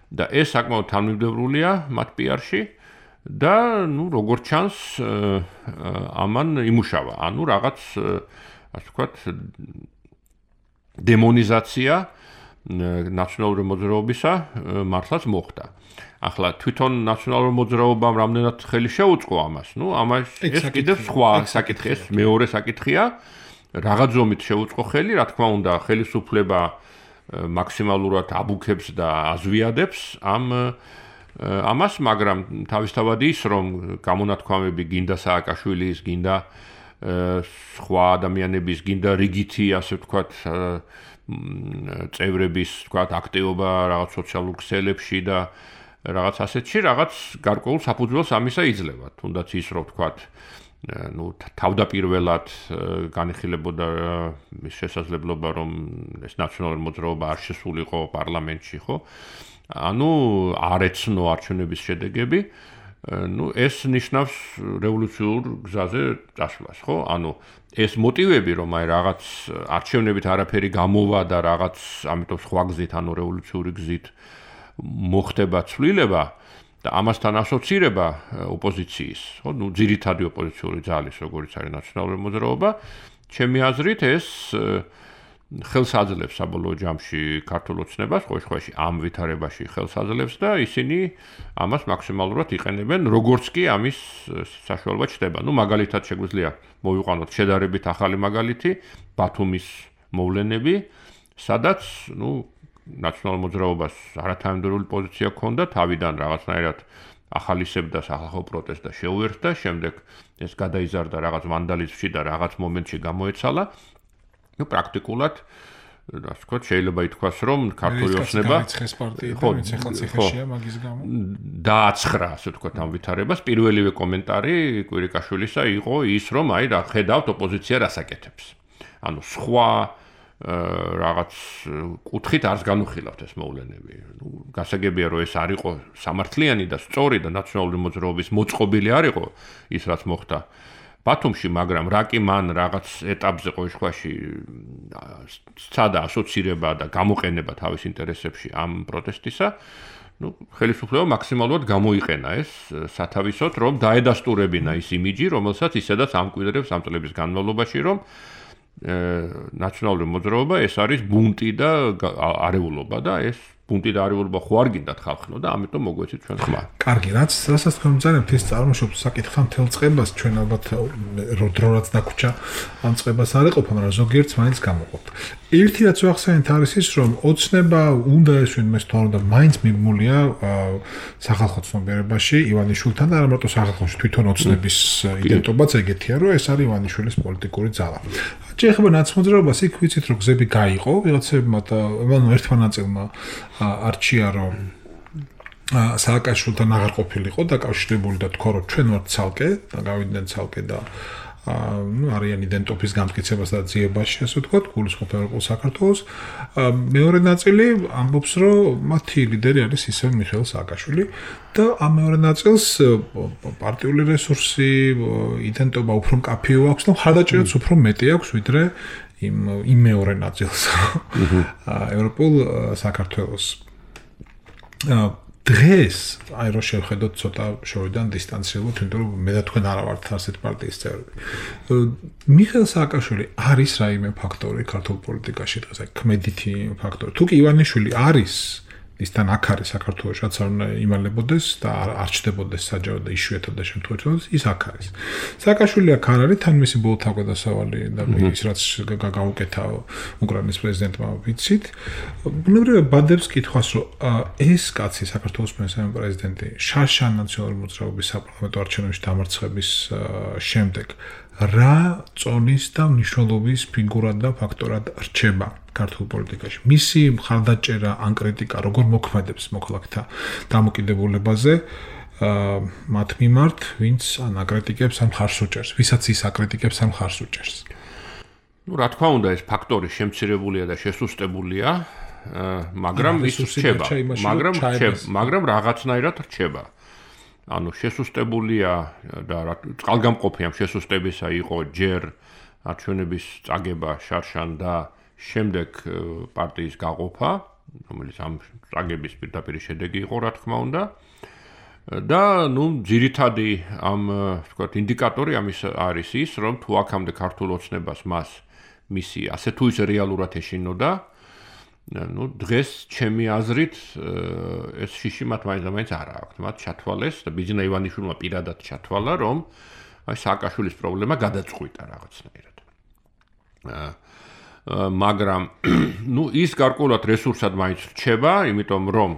და ეს საკმაოდ თანმიმდევრულია მათ პიარში და ნუ როგორც ჩანს ამან იმუშავა. ანუ რაღაც ასე ვთქვათ დემონიზაცია ნაციონალური მოძრაობისა მართლაც მოხდა. ახლა თვითონ ნაციონალურ მოძრაობამ რამდენად ხელი შეუწყო ამას? ნუ ამას ეს კიდევ სხვა საკითხია, მეორე საკითხია. რაღაც ზომით შეუწყო ხელი, რა თქმა უნდა, ხელისუფლება მაქსიმალურად აბუქებს და აზვიადებს ამ ამას, მაგრამ თავისთავად ის, რომ გამონათქვამები გინდა სააკაშვილის, გინდა სხვა ადამიანების, გინდა რიგითი, ასე ვთქვათ, წევრების, ვთქვათ, აქტივობა რაღაც სოციალურ ქსელებში და რაღაც ასეთში, რაღაც გარკვეულ საფუძველს ამისა იძლევა. თუნდაც ის, რომ ვთქვათ, ну თავდაპირველად განიხილებოდა ის შესაძლებლობა, რომ ეს ნაციონალური მოძრაობა არ შესულიყო პარლამენტში, ხო? ანუ არ ეცნო არჩევნების შედეგები, ну ეს ნიშნავს რევოლუციურ გზაზე წასვლას, ხო? ანუ ეს მოტივები, რომ აი რაღაც არჩევნებით არაფერი გამოვა და რაღაც ამიტომ სხვა გზით, ანუ რევოლუციური გზით მოხდება ცვლილება და ამასთან ასოცირება ოპოზიციის, ხო, ну ძირითადი ოპოზიციური ძალის, როგორც არის ნაციონალური მოძრაობა, ჩემი აზრით ეს ხელს აძლევს საბოლოო ჯამში ქართულ ოცნებას, ყოველ შემთხვევაში ამ ვითარებაში ხელს აძლევს და ისინი ამას მაქსიმალურად იყენებენ, როგორც კი ამის საშუალება ჩნდება. ну მაგალითად შეგვიძლია მოვიყვანოთ შედარებით ახალი მაგალითი, ბათუმის მოვლენები, სადაც ну ნაციონალურ მოძრაობას არათანმიმდევრული პოზიცია ჰქონდა, თავიდან რაღაცნაირად ახალისებდა სახალხო პროტესტს და შეუერთდა, შემდეგ ეს გადაიზარდა რაღაც ვანდალიზმში და რაღაც მომენტში გამოეცალა. ну პრაქტიკულად, ასე ვთქვათ, შეიძლება ითქვას, რომ ქართული ოცნება დააცხრა, ასე ვთქვათ, ამ ვითარებას. პირველივე კომენტარი კვირიკაშვილისა იყო ის, რომ აი რა ხედავთ, ოპოზიცია რას აკეთებს. ანუ სხვა რაღაც კუთხით არს განუხილავთ ეს მოვლენები. ну გასაგებია, რომ ეს არ იყო სამართლიანი და სწორი და ნაციონალური მოძრაობის მოწყობილი არ იყო ის, რაც მოხდა ბათუმში, მაგრამ რა კი მან რაღაც ეტაპზე ყოველ შემთხვევაში სცადა ასოცირება და გამოყენება თავის ინტერესებში ამ პროტესტისა, ну ხელისუფლება მაქსიმალურად გამოიყენა ეს სათავისოდ, რომ დაედასტურებინა ის იმიჯი, რომელსაც ისედაც ამკვიდრებს ამ წლების განმავლობაში, რომ ნაციონალური მოძრაობა ეს არის ბუნტი და არეულობა და ეს ბუნტი და არეულობა ხო არ გინდათ ხალხნო და ამიტომ მოგვეცით ჩვენ ხმა. კარგი, რაც რასაც თქვენ მძარებთ ის წარმოშობს საკითხა მთელ წყებას, ჩვენ ალბათ დროაც დაგვრჩა ამ წყებას არ ეყოფა, მაგრამ ზოგიერთს მაინც გამოყოფთ. ერთი რაც ვახსენეთ არის ის, რომ ოცნება უნდა ეს ვინმეს თორემ და მაინც მიბმულია სახალხო ცნობიერებაში ივანიშვილთან და არა მარტო სახალხოში, თვითონ ოცნების იდენტობაც ეგეთია, რომ ეს არის ივანიშვილის პოლიტიკური ძალა. ეხება ნაცმოძრაობას იქ ვიცით რომ გზები გაიყო ვიღაცებმა და ანუ ერთმა ნაწილმა არჩია რომ სააკაშვილთან აღარ ყოფილიყო დაკავშირებული და თქო რომ ჩვენ ვართ ცალკე და გავიდნენ ცალკე და ну არიან იდენტობის გამტკიცებას და ძიებაში ასე ვთქვათ გულისხმობ ევროპულ საქართველოს მეორე ნაწილი ამბობს რომ მათი ლიდერი არის ისევ მიხეილ სააკაშვილი და ამ მეორე ნაწილს პარტიული რესურსი იდენტობა უფრო მკაფიო აქვს და ხარდაჭერაც უფრო მეტი აქვს ვიდრე იმ იმ მეორე ნაწილს ევროპულ საქართველოს დღეს აი რო შევხედოთ ცოტა შორიდან დისტანციებად, იმიტომ რომ მე და თქვენ არა ვართ ასეთ პარტიის წევრები. მიხეილ სააკაშვილი არის რაიმე ფაქტორი ქართულ პოლიტიკაში დღეს, აი ქმედითი ფაქტორი. თუ კი ივანიშვილი არის, ისთან აქ არის საქართველოს, რაც არ უნდა იმალებოდეს და არ ჩდებოდეს საჯარო და იშვიათად და შემთხვევით, ის აქ არის. სააკაშვილი აქ არ არის, თან მისი ბოლო თავგადასავალი და ის რაც გაუკეთა უკრაინის პრეზიდენტმა ვიცით. ბუნებრივია ბადებს კითხვას, რომ ეს კაცი საქართველოს მესამე პრეზიდენტი შარშან ნაციონალური მოძრაობის საპარლამენტო არჩევნებში დამარცხების შემდეგ რა წონის და მნიშვნელობის ფიგურად და ფაქტორად რჩება ქართულ პოლიტიკაში. მისი მხარდაჭერა ან კრიტიკა როგორ მოქმედებს მოქალაქეთა დამოკიდებულებაზე მათ მიმართ, ვინც ან აკრიტიკებს ან მხარს უჭერს, ვისაც ის აკრიტიკებს ან მხარს უჭერს. ну რა თქმა უნდა ეს ფაქტორი შემცირებულია და შესუსტებულია, მაგრამ ის რჩება, მაგრამ მაგრამ რაღაცნაირად რჩება. ანუ შესუსტებულია და წყალგამყოფი ამ შესუსტებისა იყო ჯერ არჩევნების წაგება შარშან და შემდეგ პარტიის გაყოფა, რომელიც ამ წაგების პირდაპირ შედეგი იყო, რა თქმა უნდა. და ნუ ძირითადი ამ ვთქვათ ინდიკატორი ამის არის ის, რომ თუ აქამდე ქართულ ოცნებას მას მისი ასე თუ ისე რეალურად ეშინოდა, ну დღეს ჩემი აზრით ეს შიში მათ მაინც არ აქვს. მათ ჩათვალეს და ბიძინა ივანიშვილმა პირადად ჩათვალა, რომ აი სააკაშვილის პრობლემა გადაწყვიტა რაღაცნაირად. მაგრამ ну ის გარკვეულად რესურსად მაინც რჩება, იმიტომ რომ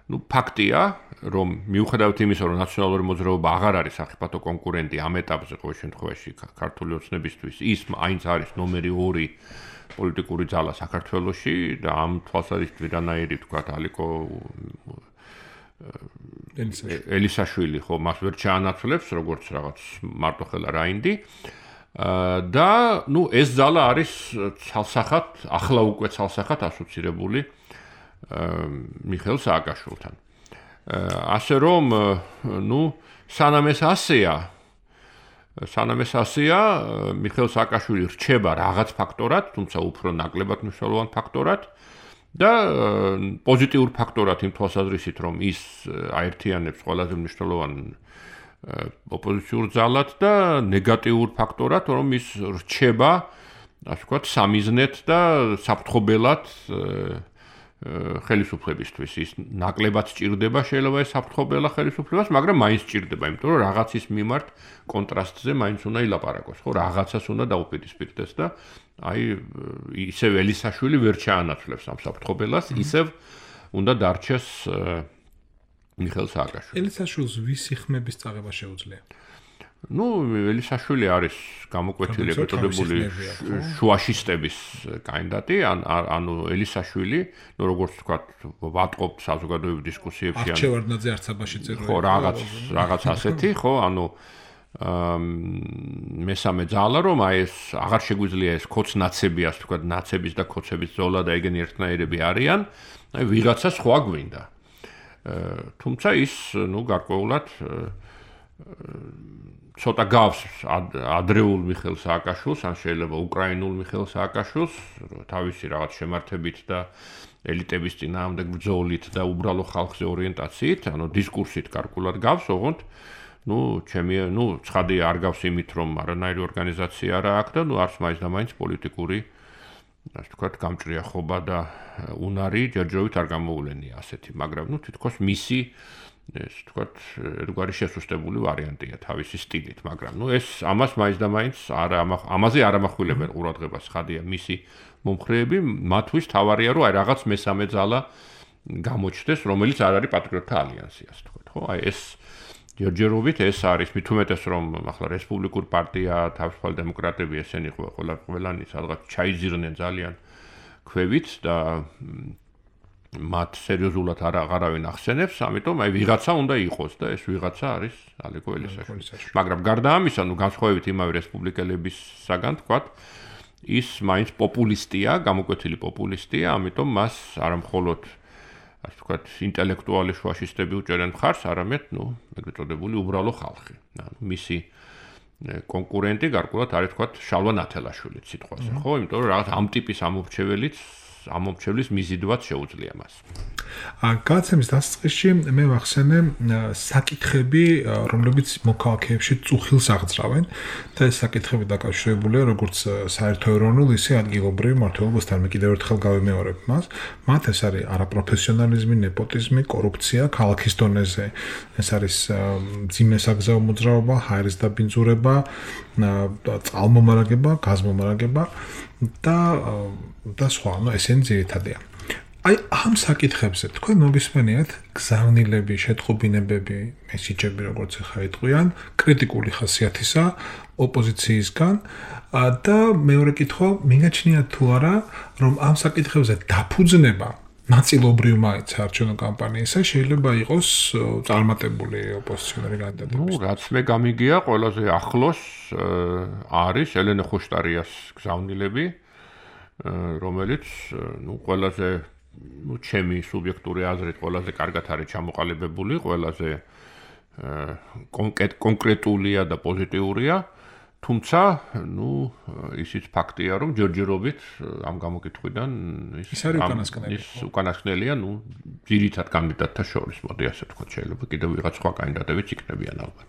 ну ფაქტია, რომ მიუხედავად იმისა, რომ ნაციონალური მოძრაობა აღარ არის სახიფათო კონკურენტი ამ ეტაპზე ყოველ შემთხვევაში ქართული ოცნებისთვის, ის აინც არის ნომერი ორი პოლიტიკური ძალა საქართველოში და ამ თვალსაზრისით რანაირი თქვა ალიკო ელისაშვილი ხო მას ვერ ჩაანაცვლებს როგორც რაღაც მარტოხელა რაინდი და ნუ ეს ძალა არის ცალსახად ახლა უკვე ცალსახად ასოცირებული მიხეილ სააკაშვილთან ასე რომ ნუ სანამ ეს ასეა სანამ ეს ასეა მიხეილ სააკაშვილი რჩება რაღაც ფაქტორად თუმცა უფრო ნაკლებად მნიშვნელოვან ფაქტორად და პოზიტიურ ფაქტორად იმ თვალსაზრისით რომ ის აერთიანებს ყველაზე მნიშვნელოვან ოპოზიციურ ძალად და ნეგატიურ ფაქტორად რომ ის რჩება ასე ვთქვათ სამიზნედ და საფრთხობელად ხელისუფლებისთვის ის ნაკლებად სჭირდება შეიძლება ეს საფრთხობელა ხელისუფლებას მაგრამ მაინც სჭირდება იმიტომ რომ რაღაცის მიმართ კონტრასტზე მაინც უნდა ილაპარაკოს ხო რაღაცას უნდა დაუპირისპირდეს და აი ისევ ელისაშვილი ვერ ჩაანაცვლებს ამ საფრთხობელას ისევ უნდა დარჩეს მიხეილ სააკაშვილი ელისაშვილს ვისი ხმების წაღება შეუძლია ნუ ელისაშვილი არის გამოკვეთილი ეტოდებული შუაშისტების კანდიდატი ანუ ელისაშვილი ნუ როგორც ვთქვათ ვატყობთ საზოგადოებრივ დისკუსიებში ან არჩევარდნაძე არცაბაში წერო ხო რაღაც რაღაც ასეთი ხო ანუ მესამე ძალა რომ აი ეს აღარ შეგვიძლია ეს ქოცნაცები ასე ვთქვათ ნაცების და ქოცების ზოლა და ეგენი ერთნაირები არიან აი ვიღაცა სხვა გვინდა თუმცა ის ნუ გარკვეულად ცოტა გავს ადრეულ მიხეილ სააკაშვილს ან შეიძლება უკრაინულ მიხეილ სააკაშვილს თავისი რაღაც შემართებით და ელიტების წინააღმდეგ ბრძოლით და უბრალო ხალხზე ორიენტაციით ანუ დისკურსით გარკვეულად გავს ოღონდ ნუ ჩემი ნუ ცხადი არ გავს იმით რომ არანაირი ორგანიზაცია არა აქვს და ნუ არც მაინც და მაინც პოლიტიკური ასე ვთქვათ გამჭრიახობა და უნარი ჯერჯერობით არ გამოულენია ასეთი მაგრამ ნუ თითქოს მისი ეს ვთქვათ ერთგვარი შესუსტებული ვარიანტია თავისი სტილით მაგრამ ნუ ეს ამას მაინც და მაინც არ ამაზე არ ამახვილებენ ყურადღებას ხადია მისი მომხრეები მათთვის თავარია რომ აი რაღაც მესამე ძალა გამოჩნდეს რომელიც არ არის პატრიოტთა ალიანსი ასე ვთქვათ ხო აი ეს ჯერჯერობით ეს არის მით უმეტეს რომ ახლა რესპუბლიკურ პარტია თავისუფალი დემოკრატები ესენი ყველა ყველანი სადღაც ჩაიძირნენ ძალიან ქვევით და მათ სერიოზულად არ აღარავინ ახსენებს ამიტომ აი ვიღაცა უნდა იყოს და ეს ვიღაცა არის ალეკო ელისაშვილი მაგრამ გარდა ამისა ნუ განსხვავებით იმავე რესპუბლიკელებისაგან თქვათ ის მაინც პოპულისტია გამოკვეთილი პოპულისტია ამიტომ მას არ მხოლოდ ასე ვთქვათ ინტელექტუალი შუაშისტები უჭერენ მხარს არამედ ნუ ეგრეთ წოდებული უბრალო ხალხი ანუ მისი კონკურენტი გარკვეულად არის ვთქვათ შალვა ნათელაშვილი სიტყვაზე ხო იმიტომ რომ რაღაც ამ ტიპის ამორჩეველიც ამორჩევლის მიზიდვაც შეუძლია მას გაცემის დასაწყისში მე ვახსენე საკითხები რომლებიც მოქალაქეებში წუხილს აღძრავენ და ეს საკითხები დაკავშირებულია როგორც საერთოეროვნულ ისე ადგილობრივ მმართველობასთან მე კიდევ ერთხელ გავიმეორებ მას მათ ეს არის არაპროფესიონალიზმი ნეპოტიზმი კორუფცია ქალაქის დონეზე ეს არის მძიმე საგზაო მოძრაობა ჰაერის დაბინძურება წყალმომარაგება გაზმომარაგება და და სხვა ნუ ესენი ძირითადია აი ამ საკითხებზე თქვენ მოგისმენიათ გზავნილები, შეტყობინებები, მესიჯები როგორც ახლა იტყვიან, კრიტიკული ხასიათისა ოპოზიციისგან და მეორე კითხვა, მიგაჩნიათ თუ არა, რომ ამ საკითხებზე დაფუძნება ნაწილობრივ მაინც არჩევნო კამპანიისა შეიძლება იყოს წარმატებული ოპოზიციონერი კანდიდატები. ნუ რაც მე გამიგია, ყველაზე ახლოს არის ელენე ხუშტარიას გზავნილები, რომელიც ნუ ყველაზე ну ჩემი სუბიექტური აზრით ყველაზე კარგად არის ჩამოყალიბებული, ყველაზე კონკრეტულია და პოზიტიურია, თუმცა, ну, ისიც ფაქტია, რომ ჯერჯერობით ამ გამოკითხვიდან ის არის უკანასკნელი. ის უკანასკნელია, ну, ძირითად კანდიდატთა შორის, მოდი ასე ვთქვათ, შეიძლება კიდევ ვიღაც სხვა კანდიდატებიც იქნებიან ალბათ.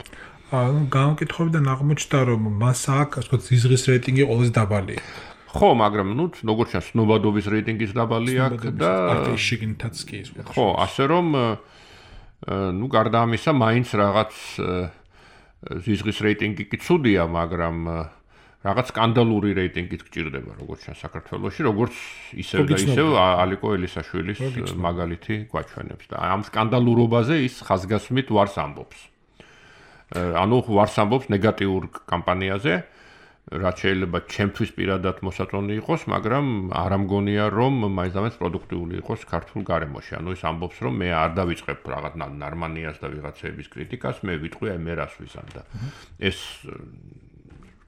ანუ გამოკითხვებიდან აღმოჩნდა, რომ მას აქვს, ასე ვთქვათ, ზიზღის რეიტინგი ყველაზე დაბალია. ხო, მაგრამ ნუ როგორც ჩანს, ნოვადოვის რეიტინგის დაბალი აქვს და პარტიის შიგნითაც კი ის. ხო, ასე რომ ნუ გარდა ამისა, მაინც რაღაც ზიზღის რეიტინგი კი ცუდია, მაგრამ რაღაც სკანდალური რეიტინგით გჭირდება როგორც ჩანს საქართველოში, როგორც ისევ და ისევ ალიკო ელისაშვილის მაგალითი გვაჩვენებს და ამ სკანდალურობაზე ის ხაზგასმით ვარს ამბობს. ანუ ვარს ამბობს ნეგატიურ კამპანიაზე, რაც შეიძლება ჩემთვის პირადად მოსაწონი იყოს, მაგრამ არ ამგონია რომ მაინც პროდუქტიული იყოს ქართულ გარემოში. ანუ ის ამბობს რომ მე არ დავიწყებ რაღაც ნარმანიას და ვიღაცების კრიტიკას, მე ვიტყვი აი მე რას ვიზამ და ეს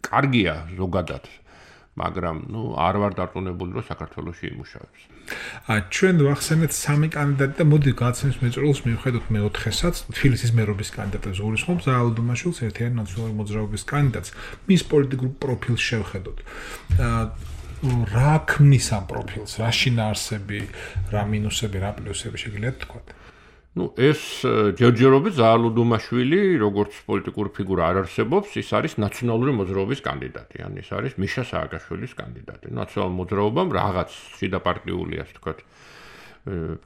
კარგია ზოგადად, მაგრამ ნუ არ ვარ დარწმუნებული რომ საქართველოში იმუშავებს. ა ჩვენ ვახსენეთ სამი კანდიდატი და მოდი გაცემს მეწვეულს მივხედოთ მეოთხესაც, თბილისის მერობის კანდიდატს გულისხმობს ზაალ დუმაშვილს, ერთიანი ნაციონალური მოძრაობის კანდიდატს. მის პოლიტიკურ პროფილს შევხედოთ. რა ქმნის ამ პროფილს, რა შინაარსები, რა მინუსები, რა პლუსები შეგიძლიათ თქვა? Ну, ეს ჯერჯერობით ზაალ დუმაშვილი, როგორც პოლიტიკური ფიგურა არ არსებობს, ის არის ნაციონალური მოძრაობის კანდიდატი, ან ის არის მიშა სააკაშვილის კანდიდატი. ნაციონალურ მოძრაობამ რაღაც შიდაპარტიული, ასე ვთქვათ,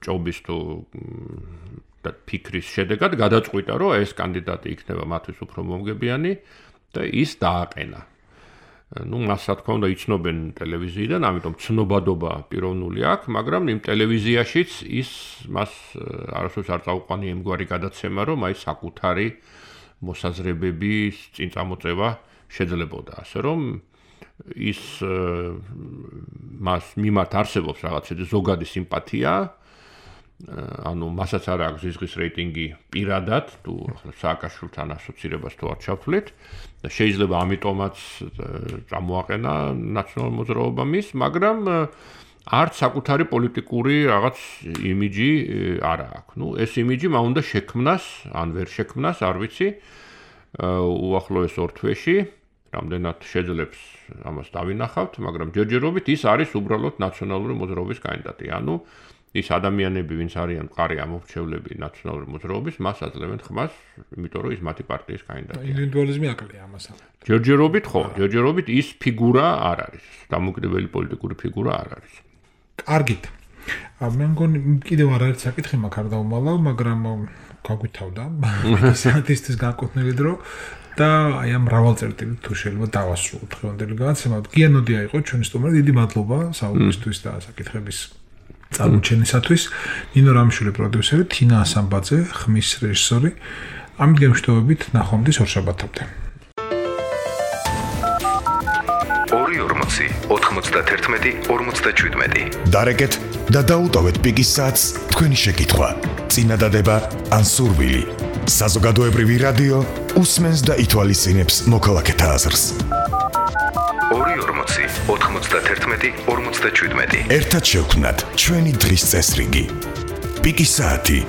ჭობის თუ ფიქრის შედეგად გადაწყვიტა, რომ ეს კანდიდატი იქნება მათთვის უფრო მომგებიანი და ის დააყენა. Ну, მას რა თქმა უნდა იცნობენ ტელევიზიიდან, ამიტომ ცნობადობა პიროვნული აქვს, მაგრამ იმ ტელევიზიაშიც ის მას არასდროს არ წაუყვანი იმგვარი გადაცემა, რომ აი საკუთარი მოსაზრებების წინ წამოწევა შეძლებოდა, ასე რომ ის მას მიმართ არსებობს რაღაცა ზოგადი სიმპათია, ანუ მასაც არ აქვს ზიზღის რეიტინგი პირადად, თუ სააკაშვილთან ასოცირებას თუ არ ჩავთვლით და შეიძლება ამიტომაც წამოაყენა ნაციონალურ მოძრაობამ ის, მაგრამ არც საკუთარი პოლიტიკური რაღაც იმიჯი არ აქვს. ნუ ეს იმიჯი მან უნდა შექმნას, ან ვერ შექმნას, არ ვიცი, უახლოეს ორ თვეში, რამდენად შეძლებს ამას დავინახავთ, მაგრამ ჯერჯერობით ის არის უბრალოდ ნაციონალური მოძრაობის კანდიდატი. ანუ ის ადამიანები, ვინც არიან მყარი ამორჩევლები ნაციონალური მოძრაობის, მას აძლევენ ხმას, იმიტომ რომ ის მათი პარტიის კანდიდატია. ინდივიდუალიზმი აკლია ამას. ჯერჯერობით ხო, ჯერჯერობით ის ფიგურა არ არის, დამოუკიდებელი პოლიტიკური ფიგურა არ არის. კარგით. მე მგონი კიდევ არ არის საკითხი მაგ არ დავმალავ, მაგრამ გაგვითავდა საათისთვის განკუთვნილი დრო და აი ამ მრავალწერტილი თუ შეიძლება დავასრულოთ დღევანდელი განაცემა. გიანოდია იყო ჩვენი სტუმარი, დიდი მადლობა საუბრისთვის და საკითხების წარმოჩენისათვის. ნინო რამიშვილი პროდიუსერი, თინა ასამბაძე, ხმის რეჟისორი. ამით გემშვიდობებით ნახვამდის ორშაბათამდე. ორი ორმოცი ოთხმოცდაათი ორმოცდაშვიდმეტი. დარეკეთ და დაუტოვეთ პიკის საათს თქვენი შეკითხვა, წინადადება ან სურვილი. საზოგადოებრივი რადიო უსმენს და ითვალისწინებს მოქალაქეთა აზრს. ორი ორმოცი ოთხმოცდაათი ორმოცდაშვიდმეტი. ერთად შევქმნათ ჩვენი დღის წესრიგი. პიკის საათი